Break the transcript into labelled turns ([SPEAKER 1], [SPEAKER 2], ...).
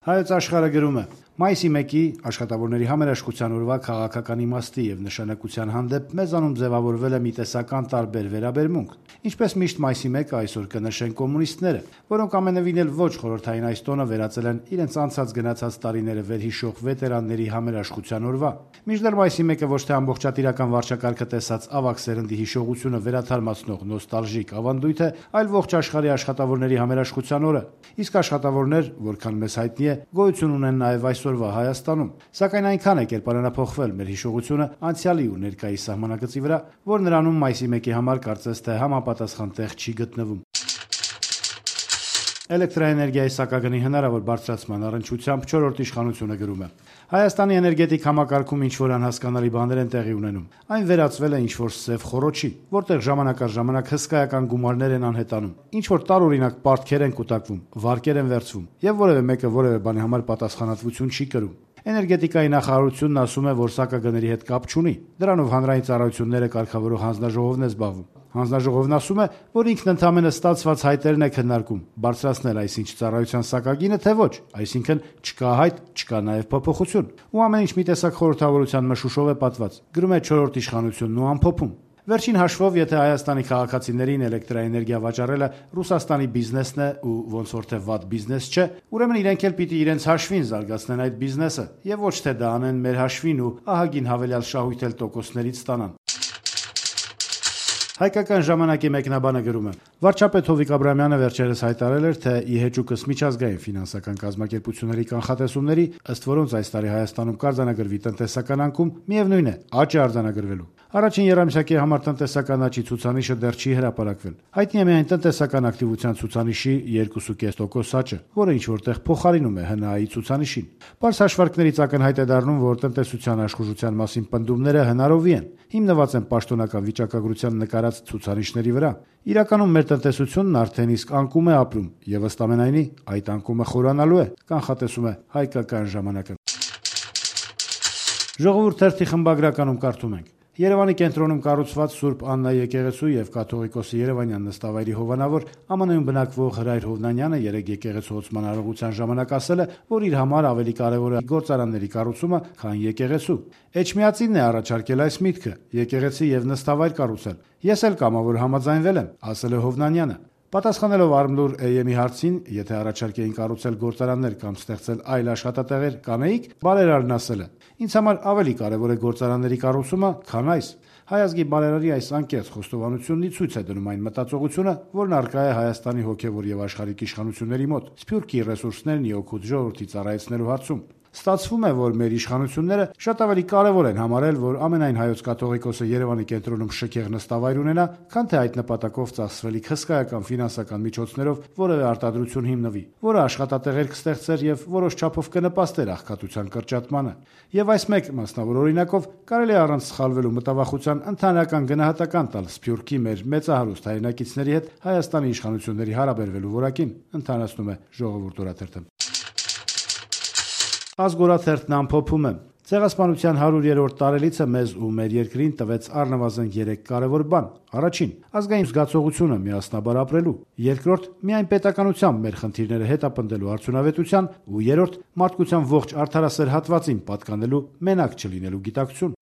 [SPEAKER 1] Հայոց աշխարհը գրում է. Մայիսի 1-ի աշխատավորների համերաշխության օրվա քաղաքական իմաստի եւ նշանակության հանդեպ մեզանում ձևավորվել է մի տեսական տարբեր վերաբերմունք։ Ինչպես միշտ մայիսի 1-ը այսօր կնշեն կոմունիստները, որոնք ամենևին էլ ոչ խորհրդային այս տոնը վերածել են իրենց անցած գնացած տարիները վերհիշող վետերանների համերաշխության օրվա։ Մինչդեռ մայիսի 1-ը ոչ թե ամբողջատիրական վարչակարգը տեսած ավագ սերնդի հիշողությունը վերաթարմացնող նոստալժիկ ավանդույթ է, այլ ողջ աշխարհի աշխատավորների համերաշխության օրը։ Իսկ աշխատավորներ, որքան մեզ հայտնի է, գոյություն ունեն նաև այսօրվա Հայաստանում, սակայն այնքան է կերպարանափոխվել մեր հիշողությունը անցյալի ու ներկայի սահմանագծի վրա, որ նրանում մայիսի 1-ի համար կարծես թե համապատասխան տեղ չի գտնվում։ Էլեկտրաէներգիայի սակագնի հնարավոր բարձրացման առնչությամբ 4-րդ իշխանությունը գրում է. Հայաստանի էներգետիկ համակարգում ինչ-որ անհասկանալի բաներ են տեղի ունենում։ Այն վերածվել է ինչ-որ սև խոռոչի, որտեղ ժամանակ առ ժամանակ հսկայական գումարներ են անհետանում, ինչ-որ տարօրինակ պարտքեր են կուտակվում, վարկեր են վերցվում, եւ որևէ մեկը որևէ բանի համար պատասխանատվություն չի կրում։ Էներգետիկայի նախարարությունն ասում է, որ սակագների հետ կապ չունի։ Դրանով հանրային ծառայությունները կարգավորող հանձնաժողովն է զբաղվում։ Հանձնաժողովն ասում է, որ ինքն ընդամենը ստացված հայտերն է քննարկում, բարձրացնել այսինչ ծառայության սակագինը, թե ոչ, այսինքն չկա հայտ, չկա նաև փոփոխություն։ Ու ամեն ինչ մի տեսակ խորհրդավորության մշուշով է պատված։ Գրում է 4-րդ իշխանությունն ու ամփոփում. Վերջին հաշվով, եթե Հայաստանի քաղաքացիներին էլեկտրաէներգիա վաճառելը Ռուսաստանի բիզնեսն է ու ոնց որ թե վատ բիզնես չէ, ուրեմն իրենք էլ պիտի իրենց հաշվին զարգացնեն այդ բիզնեսը եւ ոչ թե դա անեն մեր հաշվին ու ահագին հավելյալ շահույթ էլ տոկոսներից ստանան։ Հայկական ժամանակի մեկնաբանը գրում է. Վարչապետ Հովիկ Աբրահամյանը վերջերս հայտարարել էր, թե ԻՀՃ-ըս միջազգային ֆինանսական կազմակերպությունների կանխատեսումների, ըստ որոնց այս տարի Հայաստանում կարձանագրվի տնտեսական անկում, միևնույն է, աճ է արձանագրվելու։ Առաջին եռամսյակի համար տնտեսական աճի ցուցանիշը դեռ չի հրապարակվել։ Հայտնի է միայն տնտեսական ակտիվության ցուցանիշի 2.5% աճը, որը ինչ որտեղ փոխարինում է ՀՆԱ-ի ցուցանիշին։ Պարզ հաշվարկներից ակնհայտ է դառնում, որ տնտեսության աշխուժության մասին պնդումները հնարովի են, հիմնված են պաշտոնական վիճակագրության նկարած ցուցանիշների վրա։ Իրականում մեր տնտեսությունն արդեն իսկ անկում է ապրում, եւ ըստ ամենայնի այդ անկումը խորանալու է, կանխատեսում է Հայկական ժամանակը։ Ժողովուրդ թերթի խմբագրականում կարդում ենք. Երևանի կենտրոնում կառուցված Սուրբ Աննա եկեղեցու եւ կաթողիկոսի Երևանյան նստավայրի հովանավոր ԱՄՆ-ում բնակվող Հրայր Հովնանյանը երեկ եկեղեցու հոսման արարողության ժամանակ ասել է, որ իր համար ավելի կարեւոր է գործարանների կառուցումը, քան եկեղեցու։ Էջմիածինն է առաջարկել այս միտքը՝ եկեղեցի եւ նստավայր կառուցել։ Ես էլ կամավոր համաձայնվել եմ, ասել է Հովնանյանը։ Պատասխանելով Արմլուր AM-ի հարցին, եթե առաջարկեին կառուցել գործարաններ կամ ստեղծել այլ աշխատատեղեր, կանեիք, բարերարն ասել է. Ինձ համար ավելի կարևոր է գործարանների կառուցումը, քան այս։ Հայ ազգի բարերարի այս անկեղծ խոստովանությունն ի ցույց է դնում այն մտածողությունը, որն առկա է Հայաստանի հոգևոր եւ աշխարհիկ իշխանությունների մոտ, սփյուռքի ռեսուրսներն ի օգուտ ժողովրդի ծառայեցնելու հարցում։ Ստացվում է, որ մեր իշխանությունները շատ ավելի կարևոր են համարել, որ ամենայն հայոց կաթողիկոսը Երևանի կենտրոնում շքեղ նստավայր ունենա, քան թե այդ նպատակով ծախսվելիք հսկայական ֆինանսական միջոցներով որևէ արտադրություն հիմնվի, որը աշխատատեղեր կստեղծեր եւ որոշ չափով կնպաստեր աղքատության կրճատմանը։ Եվ այս մեկ մասնավոր օրինակով կարելի է առանց սխալվելու մտավախության ընդհանրական գնահատական տալ սփյուռքի մեր մեծահարուստ հայրենակիցների հետ Հայաստանի իշխանությունների հարաբերվելու որակին, ընդհանրացնում է Ժողովուրդ օրաթերթը։ Ազգորաթերթն ամփոփում է. Ցեղասպանության 100-րդ տարելիցը մեզ ու մեր երկրին տվեց առնվազն 3 կարևոր բան։ Առաջին՝ ազգային զգացողությունը միասնաբար ապրելու։ Երկրորդ՝ միայն պետականությամբ մեր խնդիրները հետապնդելու արդյունավետության, ու երրորդ՝ մարդկության ողջ արդարասեր հատվածին պատկանելու մենակ չլինելու գիտակցություն։